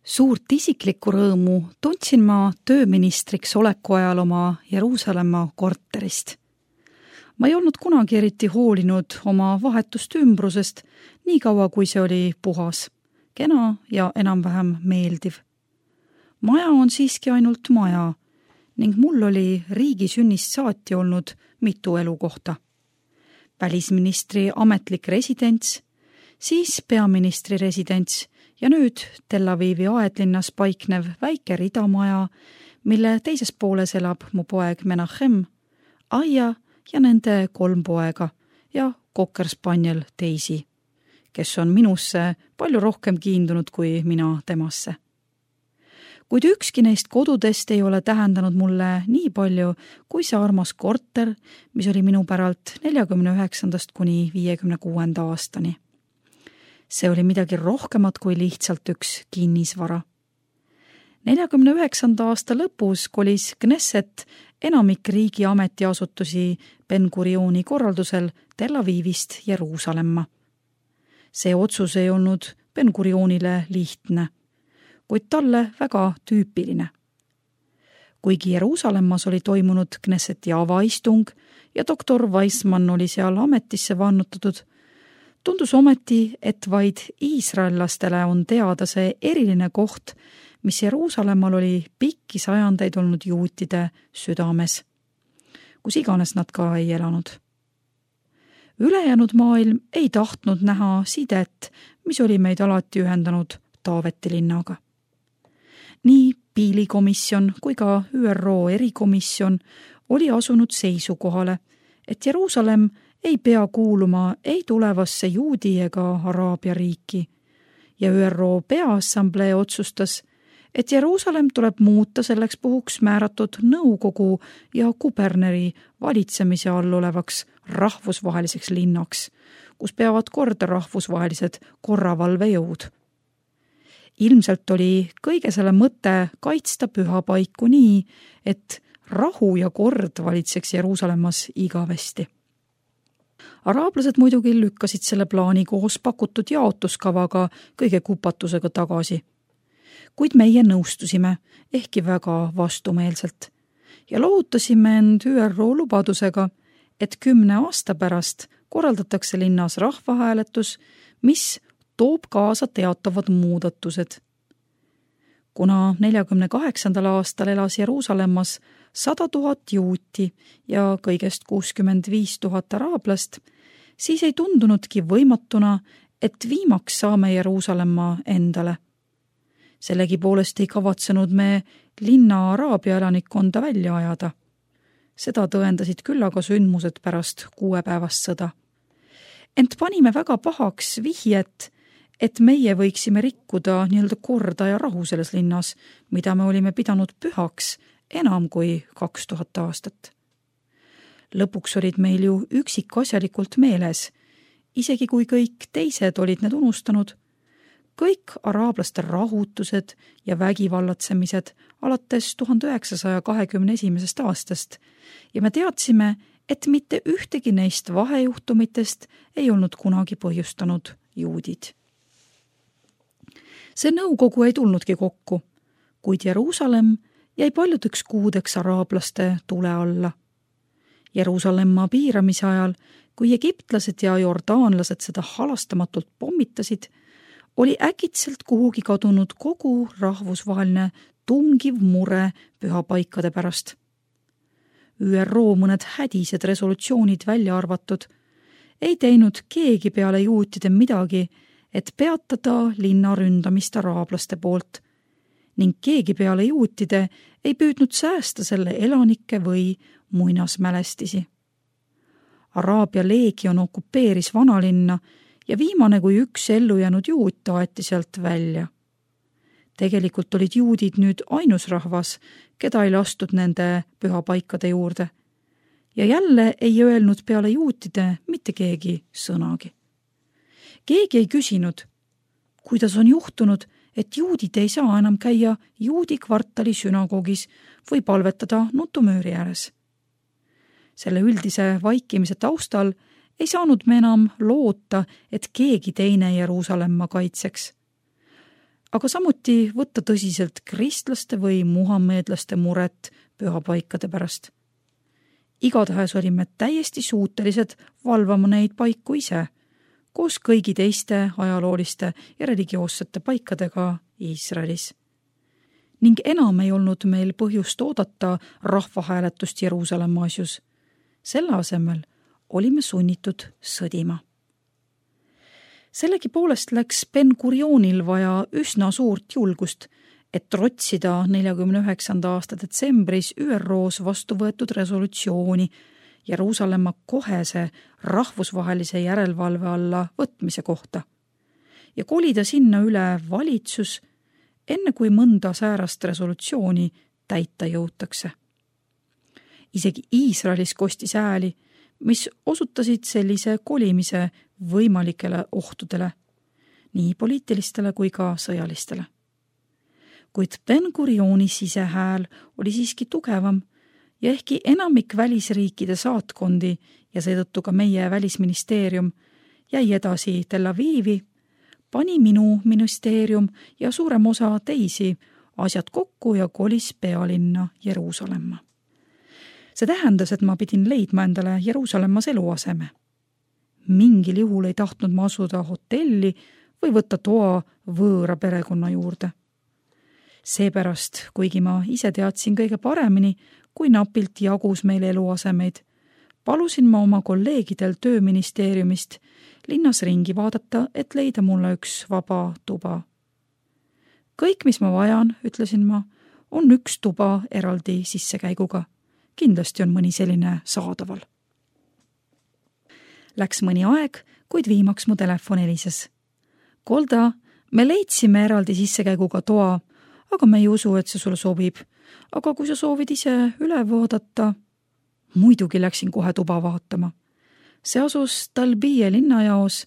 Suurt isiklikku rõõmu tundsin ma tööministriks oleku ajal oma Jeruusalemma korterist. Ma ei olnud kunagi eriti hoolinud oma vahetust ümbrusest, nii kaua kui see oli puhas, kena ja enam-vähem meeldiv. Maja on siiski ainult maja ning mul oli riigi sünnist saati olnud mitu elukohta. Välisministri ametlik residents, siis peaministri residents ja nüüd Tel Avivi aedlinnas paiknev väike ridamaja, mille teises pooles elab mu poeg Menachem, Aia ja nende 3 poega ja kokkerspanjel Daisy, kes on minusse palju rohkem kiindunud kui mina temasse. Kuid ükski neist kodudest ei ole tähendanud mulle nii palju kui see armas korter, mis oli minu päralt 49. kuni 56. aastani. See oli midagi rohkemat kui lihtsalt üks kinnisvara. 49. aasta lõpus kolis Knesset enamik riigi ametiasutusi Ben-Gurioni korraldusel Tel Avivist Jeruusalemma. See otsus ei olnud Ben-Gurionile lihtne, kuid talle väga tüüpiline. Kuigi Jeruusalemmas oli toimunud Knesseti avaistung ja doktor Weissmann oli seal ametisse vannutatud, tundus ometi, et vaid iisraellastele on teada see eriline koht, mis Jeruusalemmal oli pikki sajandeid olnud juutide südames, kus iganes nad ka ei elanud. Ülejäänud maailm ei tahtnud näha sidet, mis oli meid alati ühendanud Taaveti linnaga. Nii Piilikomisjon kui ka ÜRO erikomisjon oli asunud seisukohale, et Jeruusalemm ei pea kuuluma ei tulevasse juudi ega Araabia riiki ja ÜRO Peaassamblee otsustas, et Jeruusalemm tuleb muuta selleks puhuks määratud nõukogu ja kuberneri valitsemise all olevaks rahvusvaheliseks linnaks, kus peavad korda rahvusvahelised korravalvejõud. Ilmselt oli kõige selle mõte kaitsta pühapaiku nii, et rahu ja kord valitseks Jeruusalemmas igavesti. Araablased muidugi lükkasid selle plaani koos pakutud jaotuskavaga kõige kupatusega tagasi. Kuid meie nõustusime, ehkki väga vastumeelselt, ja loovutasime end ÜRO lubadusega, et 10 aasta pärast korraldatakse linnas rahvahääletus, mis toob kaasa teatavad muudatused. Kuna 48. aastal elas Jeruusalemmas 100 000 juuti ja kõigest 65 000 araablast, siis ei tundunudki võimatuna, et viimaks saame Jeruusalemma endale. Sellegipoolest ei kavatsenud me linna araabia elanikkonda välja ajada. Seda tõendasid küll aga sündmused pärast 6-päevast sõda. Ent panime väga pahaks vihjet, et meie võiksime rikkuda nii-öelda korda ja rahu selles linnas, mida me olime pidanud pühaks enam kui 2000 aastat. Lõpuks olid meil ju üksikasjalikult meeles, isegi kui kõik teised olid need unustanud, kõik araablaste rahutused ja vägivallatsemised alates 1921. aastast ja me teadsime, et mitte ühtegi neist vahejuhtumitest ei olnud kunagi põhjustanud juudid. See nõukogu ei tulnudki kokku, kuid Jeruusalemm jäi paljudeks kuudeks araablaste tule alla. Jeruusalemma piiramise ajal, kui egiptlased ja jordaanlased seda halastamatult pommitasid, oli äkitselt kuhugi kadunud kogu rahvusvaheline tungiv mure pühapaikade pärast. ÜRO mõned hädised resolutsioonid välja arvatud, ei teinud keegi peale juutide midagi, et peatada linna ründamist araablaste poolt ning keegi peale juutide ei püüdnud säästa selle elanikke või muinasmälestisi. Araabia leegion okupeeris vanalinna ja viimane kui üks ellujäänud juut taeti sealt välja. Tegelikult olid juudid nüüd ainus rahvas, keda ei lastud nende pühapaikade juurde. Ja jälle ei öelnud peale juutide mitte keegi sõnagi. Keegi ei küsinud, kuidas on juhtunud, et juudid ei saa enam käia juudi kvartali sünagogis või palvetada nutumööri ääres. Selle üldise vaikimise taustal ei saanud me enam loota, et keegi teine Jeruusalemma kaitseks. aga samuti võtta tõsiselt kristlaste või muhammeedlaste muret pühapaikade pärast. Igatahes olime täiesti suutelised valvama neid paiku ise, koos kõigi teiste ajalooliste ja religioossete paikadega Iisraelis. Ning enam ei olnud meil põhjust oodata rahvahääletust Jeruusalemma asjus. Selle asemel olime sunnitud sõdima. Sellegipoolest läks Ben-Gurionil vaja üsna suurt julgust, et trotsida 49. aasta detsembris ÜROs vastu võetud resolutsiooni Jeruusalemma kohese rahvusvahelise järelevalve alla võtmise kohta ja kolida sinna üle valitsus, enne kui mõnda säärast resolutsiooni täita jõutakse. Isegi Iisraelis kostis hääli, mis osutasid sellise kolimise võimalikele ohtudele, nii poliitilistele kui ka sõjalistele. Kuid Ben-Gurioni sisehääl oli siiski tugevam ja ehkki enamik välisriikide saatkondi ja seetõttu ka meie välisministeerium jäi edasi Tel Avivi, pani minu ministeerium ja suurem osa teisi asjad kokku ja kolis pealinna Jeruusalemma. See tähendas, et ma pidin leidma endale Jeruusalemmas eluaseme. Mingil juhul ei tahtnud ma asuda hotelli või võtta toa võõra perekonna juurde. Seepärast, kuigi ma ise teadsin kõige paremini, kui napilt jagus meil eluasemeid, palusin ma oma kolleegidel tööministeeriumist linnas ringi vaadata, et leida mulle üks vaba tuba. Kõik, mis ma vajan, ütlesin ma, on üks tuba eraldi sissekäiguga. Kindlasti on mõni selline saadaval. Läks mõni aeg, kuid viimaks mu telefon helises. Golda, me leidsime eraldi sissekäiguga toa, aga me ei usu, et see sulle sobib. Aga kui sa soovid ise üle vaadata, muidugi läksin kohe tuba vaatama. See asus Talbije linnajaos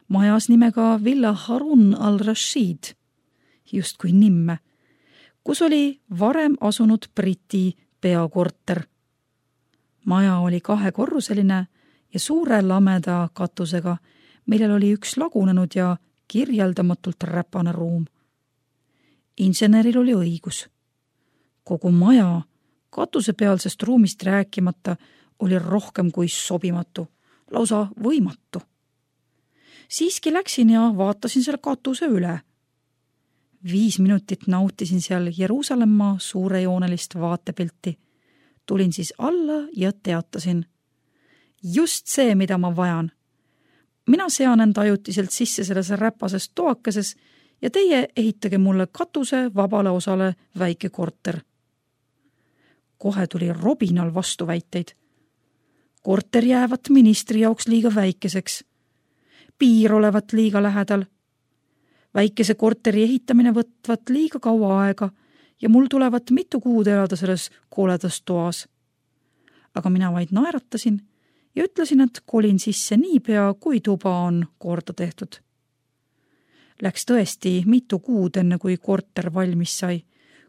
majas nimega Villa Harun al-Rashid, just kui nimme, kus oli varem asunud Briti peakorter. Maja oli 2-korruseline ja suure lameda katusega, millel oli üks lagunenud ja kirjeldamatult räpane ruum. Inseneril oli õigus. Kogu maja, katusepealsest ruumist rääkimata, oli rohkem kui sobimatu, lausa võimatu. Siiski läksin ja vaatasin selle katuse üle. 5 minutit nautisin seal Jeruusalemma suurejoonelist vaatepilti. Tulin siis alla ja teatasin. Just see, mida ma vajan. Mina sean end ajutiselt sisse selles räpases toakeses ja teie ehitage mulle katuse vabale osale väike korter. Kohe tuli robinal vastuväiteid. Korter jäävat ministri jaoks liiga väikeseks. Piir olevat liiga lähedal. Väikese korteri ehitamine võtvat liiga kaua aega ja mul tulevat mitu kuud elada selles koledas toas. Aga mina vaid naeratasin ja ütlesin, et kolin sisse niipea, kui tuba on korda tehtud. Läks tõesti mitu kuud enne, kui korter valmis sai,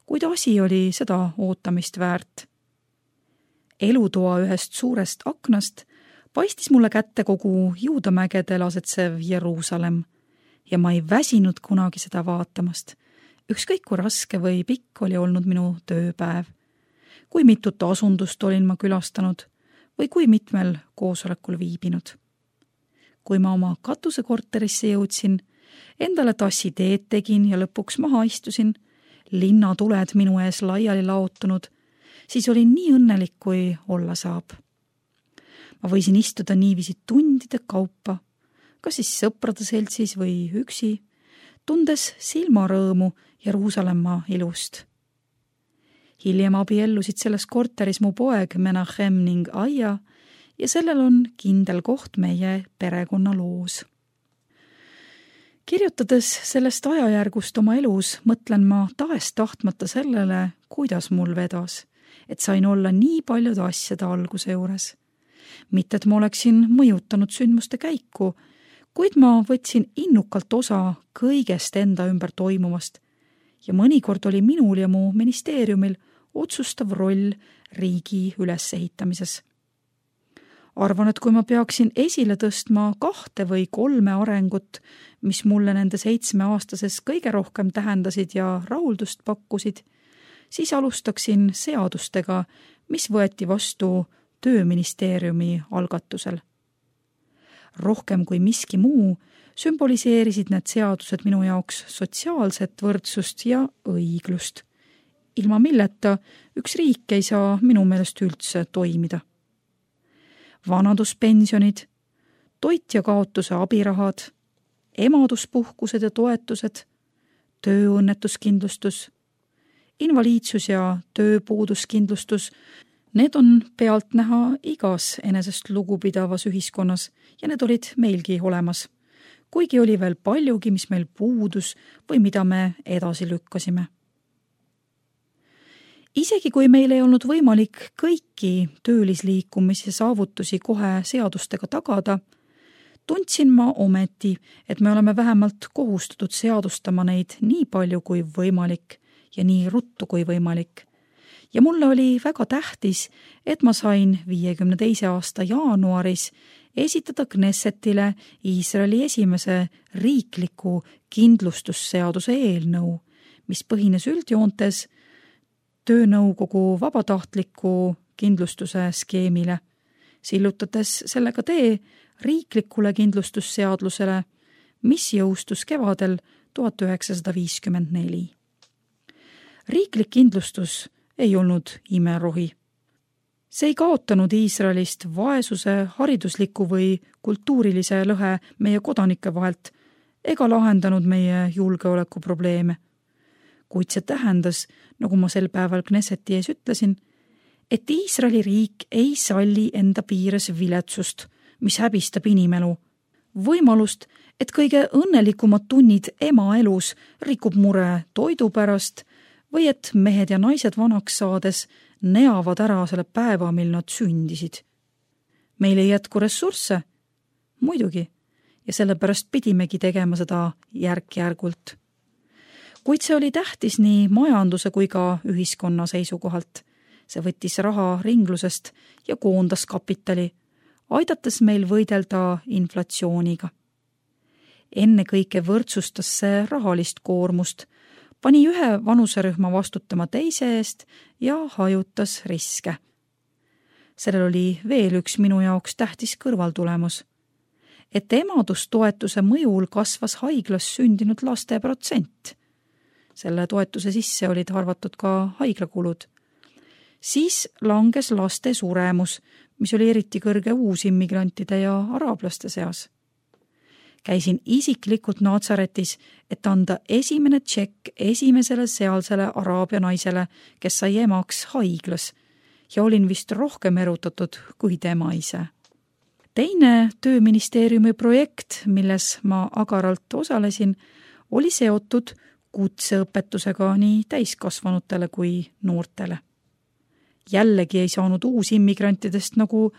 kuid asi oli seda ootamist väärt. Elutoa ühest suurest aknast paistis mulle kätte kogu Juudamägedel asetsev Jeruusalemm ja ma ei väsinud kunagi seda vaatamast. Ükskõik kui raske või pikk oli olnud minu tööpäev, kui mitut asundust olin ma külastanud või kui mitmel koosolekul viibinud. Kui ma oma katusekorterisse jõudsin, endale tassi teed tegin ja lõpuks maha istusin, linnatuled minu ees laiali laotunud, siis olin nii õnnelik, kui olla saab. Ma võisin istuda niiviisi tundide kaupa, kas siis sõprade seltsis või üksi, tundes silmarõõmu Jeruusalemma ilust. Hiljem abiellusid selles korteris mu poeg Menachem ning Aia ja sellel on kindel koht meie perekonna loos. Kirjutades sellest ajajärgust oma elus, mõtlen ma tahes-tahtmata sellele, kuidas mul vedas, et sain olla nii paljude asjade alguse juures. Mitte, et ma oleksin mõjutanud sündmuste käiku, kuid ma võtsin innukalt osa kõigest enda ümber toimuvast ja mõnikord oli minul ja mu ministeeriumil otsustav roll riigi ülesehitamises. Arvan, et kui ma peaksin esile tõstma 2 või 3 arengut, mis mulle nende 7-aastases kõige rohkem tähendasid ja rahuldust pakkusid, siis alustaksin seadustega, mis võeti vastu Tööministeeriumi algatusel. Rohkem kui miski muu sümboliseerisid need seadused minu jaoks sotsiaalset võrdsust ja õiglust, ilma milleta üks riik ei saa minu meelest üldse toimida. Vanaduspensionid, toitja kaotuse abirahad, emaduspuhkused ja toetused, tööõnnetuskindlustus, invaliidsus ja tööpuuduskindlustus, need on pealtnäha igas enesest lugupidavas ühiskonnas ja need olid meilgi olemas, kuigi oli veel paljugi, mis meil puudus või mida me edasi lükkasime. Isegi kui meil ei olnud võimalik kõiki töölisliikumise saavutusi kohe seadustega tagada, tundsin ma ometi, et me oleme vähemalt kohustatud seadustama neid nii palju kui võimalik ja nii ruttu kui võimalik. Ja mulle oli väga tähtis, et ma sain 52. aasta jaanuaris esitada Knessetile Iisraeli esimese riikliku kindlustusseaduse eelnõu, mis põhines üldjoontes töönõukogu vabatahtliku kindlustuse skeemile, sillutades sellega tee riiklikule kindlustusseadlusele, mis jõustus kevadel 1954. Riiklik kindlustus ei olnud imerohi. See ei kaotanud Iisraelist vaesuse, haridusliku või kultuurilise lõhe meie kodanike vahelt ega lahendanud meie julgeolekuprobleeme. Kuid see tähendas, nagu ma sel päeval Knesseti ees ütlesin, et Iisraeli riik ei salli enda piires viletsust, mis häbistab inimelu, võimalust, et kõige õnnelikumad tunnid ema elus rikub mure toidu pärast või et mehed ja naised vanaks saades neavad ära selle päeva, mil nad sündisid. Meil ei jätku ressursse, muidugi, ja sellepärast pidimegi tegema seda järk-järgult. Kuid see oli tähtis nii majanduse kui ka ühiskonna seisukohalt. See võttis raha ringlusest ja koondas kapitali, aidates meil võidelda inflatsiooniga. Ennekõike võrdsustas see rahalist koormust, pani ühe vanuserühma vastutama teise eest ja hajutas riske. Sellel oli veel üks minu jaoks tähtis kõrvaltulemus, et emadustoetuse mõjul kasvas haiglas sündinud laste protsent. Selle toetuse sisse olid arvatud ka haiklakulud. Siis langes laste suremus, mis oli eriti kõrge uusimmigrantide ja araablaste seas. Käisin isiklikult Natsaretis, et anda esimene tšekk esimesele sealsele araabia naisele, kes sai emaks haiglas ja olin vist rohkem erutatud kui tema ise. Teine Tööministeeriumi projekt, milles ma agaralt osalesin, oli seotud kutseõpetusega nii täiskasvanutele kui noortele. Jällegi ei saanud uusimmigrantidest nagu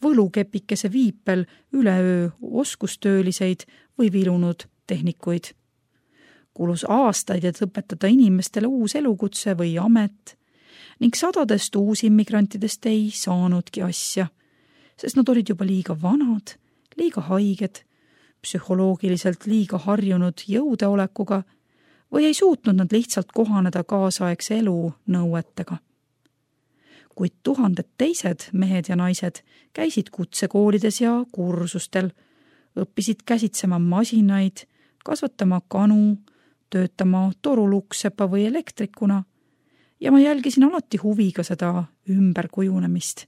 võlukepikese viipel üleöö oskustööliseid või vilunud tehnikuid. Kulus aastaid, et õpetada inimestele uus elukutse või amet ning sadadest uusimmigrantidest ei saanudki asja, sest nad olid juba liiga vanad, liiga haiged, psühholoogiliselt liiga harjunud jõudeolekuga või ei suutnud nad lihtsalt kohaneda kaasaegse elu nõuetega. Kuid tuhanded teised mehed ja naised käisid kutsekoolides ja kursustel, õppisid käsitsema masinaid, kasvatama kanu, töötama toruluksepa või elektrikuna ja ma jälgisin alati huviga seda ümberkujunemist.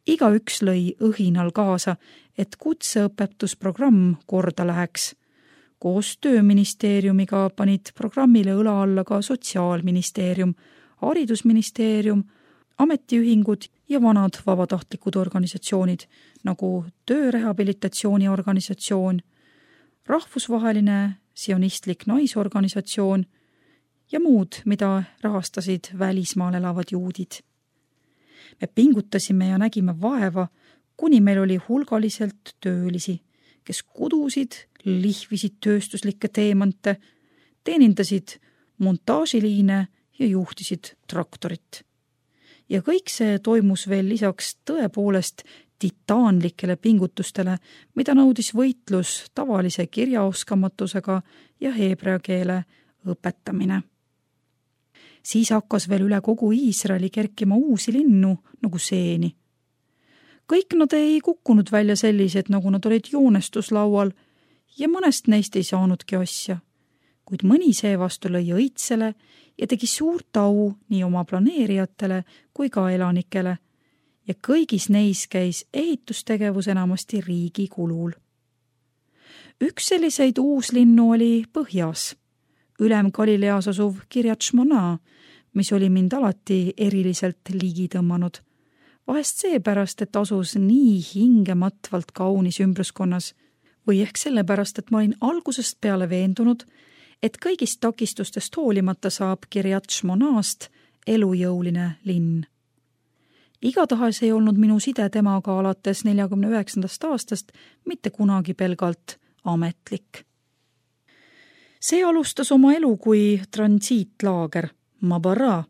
Igaüks lõi õhinal kaasa, et kutseõpetusprogramm korda läheks. Koos Tööministeeriumiga panid programmile õla alla ka Sotsiaalministeerium, Haridusministeerium, ametiühingud ja vanad vabatahtlikud organisatsioonid nagu Töörehabilitatsiooniorganisatsioon, rahvusvaheline sionistlik naisorganisatsioon ja muud, mida rahastasid välismaal elavad juudid. Me pingutasime ja nägime vaeva, kuni meil oli hulgaliselt töölisi, kes kudusid, lihvisid tööstuslikke teemante, teenindasid montaažiliine ja juhtisid traktorit. Ja kõik see toimus veel lisaks tõepoolest titaanlikele pingutustele, mida nõudis võitlus tavalise kirjaoskamatusega ja heebrea keele õpetamine. Siis hakkas veel üle kogu Iisraeli kerkima uusi linnu nagu seeni. Kõik nad ei kukkunud välja sellised, nagu nad olid joonestuslaual ja mõnest neist ei saanudki asja, kuid mõni seevastu lõi õitsele ja tegi suurt au nii oma planeerijatele kui ka elanikele ja kõigis neis käis ehitustegevus enamasti riigi kulul. Üks selliseid uuslinnu oli põhjas, ülem Galileas asuv Kiryat Shmona, mis oli mind alati eriliselt ligi tõmmanud. Vahest seepärast, et asus nii hingematvalt kaunis ümbruskonnas või ehk sellepärast, et ma olin algusest peale veendunud, et kõigist takistustest hoolimata saab Kiryat Shmonast elujõuline linn. Igatahes ei olnud minu side temaga alates 49. aastast mitte kunagi pelgalt ametlik. See alustas oma elu kui transiitlaager Mabara,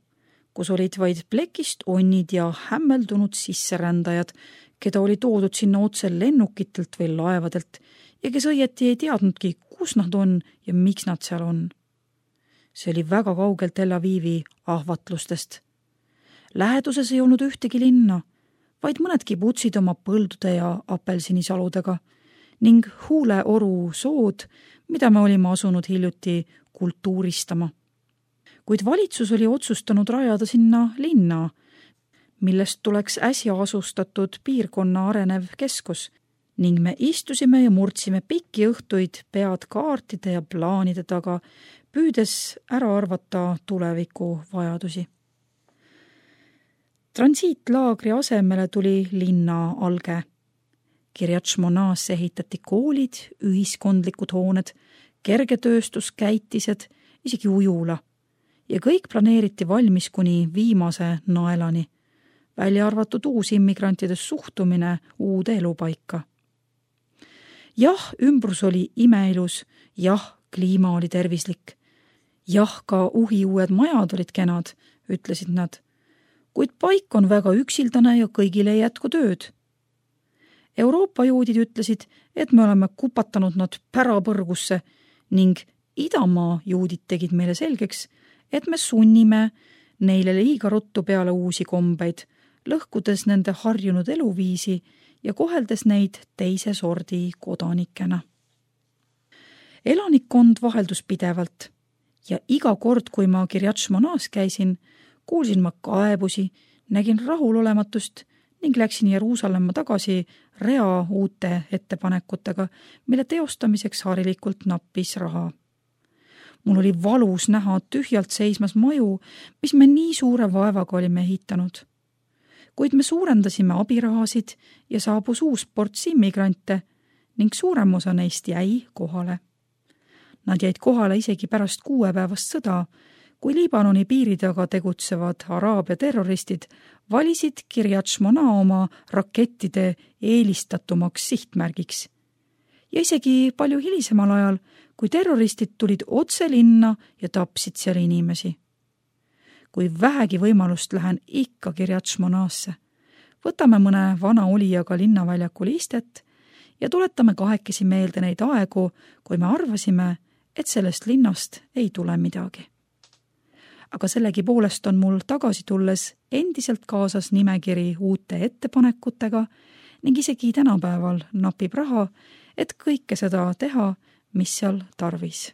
kus olid vaid plekist onnid ja hämmeldunud sisserändajad, keda oli toodud sinna otse lennukitelt või laevadelt ja kes õieti ei teadnudki, kus nad on ja miks nad seal on. See oli väga kaugel Tel Avivi ahvatlustest. Läheduses ei olnud ühtegi linna, vaid mõned kibutsid oma põldude ja apelsinisaludega ning Huuleoru sood, mida me olime asunud hiljuti kultuuristama. Kuid valitsus oli otsustanud rajada sinna linna, millest tuleks äsja asustatud piirkonna arenev keskus ning me istusime ja murdsime pikki õhtuid pead kaartide ja plaanide taga, püüdes ära arvata tuleviku vajadusi. Transiitlaagri asemele tuli linna alge. Kiryat Shmonas ehitati koolid, ühiskondlikud hooned, kergetööstuskäitised, isegi ujula ja kõik planeeriti valmis kuni viimase naelani, välja arvatud uusimmigrantide suhtumine uude elupaika. Jah, ümbrus oli imeilus, jah, kliima oli tervislik, jah, ka uhiuued majad olid kenad, ütlesid nad, kuid paik on väga üksildane ja kõigile ei jätku tööd. Euroopa juudid ütlesid, et me oleme kupatanud nad pärapõrgusse ning idamaa juudid tegid meile selgeks, et me sunnime neile liiga ruttu peale uusi kombeid, lõhkudes nende harjunud eluviisi ja koheldes neid teise sordi kodanikena. Elanikkond vaheldus pidevalt ja iga kord, kui ma Kiryat Shmonas käisin, kuulsin ma kaebusi, nägin rahulolematust ning läksin Jeruusalemma tagasi rea uute ettepanekutega, mille teostamiseks harilikult nappis raha. Mul oli valus näha tühjalt seismas maju, mis me nii suure vaevaga olime ehitanud. Kuid me suurendasime abirahasid ja saabus uus ports immigrante ning suurem osa neist jäi kohale. Nad jäid kohale isegi pärast 6-päevast sõda, kui Liibanoni piiri taga tegutsevad araabia terroristid valisid Kiryat Shmona oma rakettide eelistatumaks sihtmärgiks. Ja isegi palju hilisemal ajal, kui terroristid tulid otse linna ja tapsid seal inimesi. Kui vähegi võimalust lähen ikka Kiryat Shmonasse, võtame mõne vana olijaga linnaväljakul istet ja tuletame kahekesi meelde neid aegu, kui me arvasime, et sellest linnast ei tule midagi. Aga sellegi poolest on mul tagasi tulles endiselt kaasas nimekiri uute ettepanekutega ning isegi tänapäeval napib raha, et kõike seda teha, mis seal tarvis.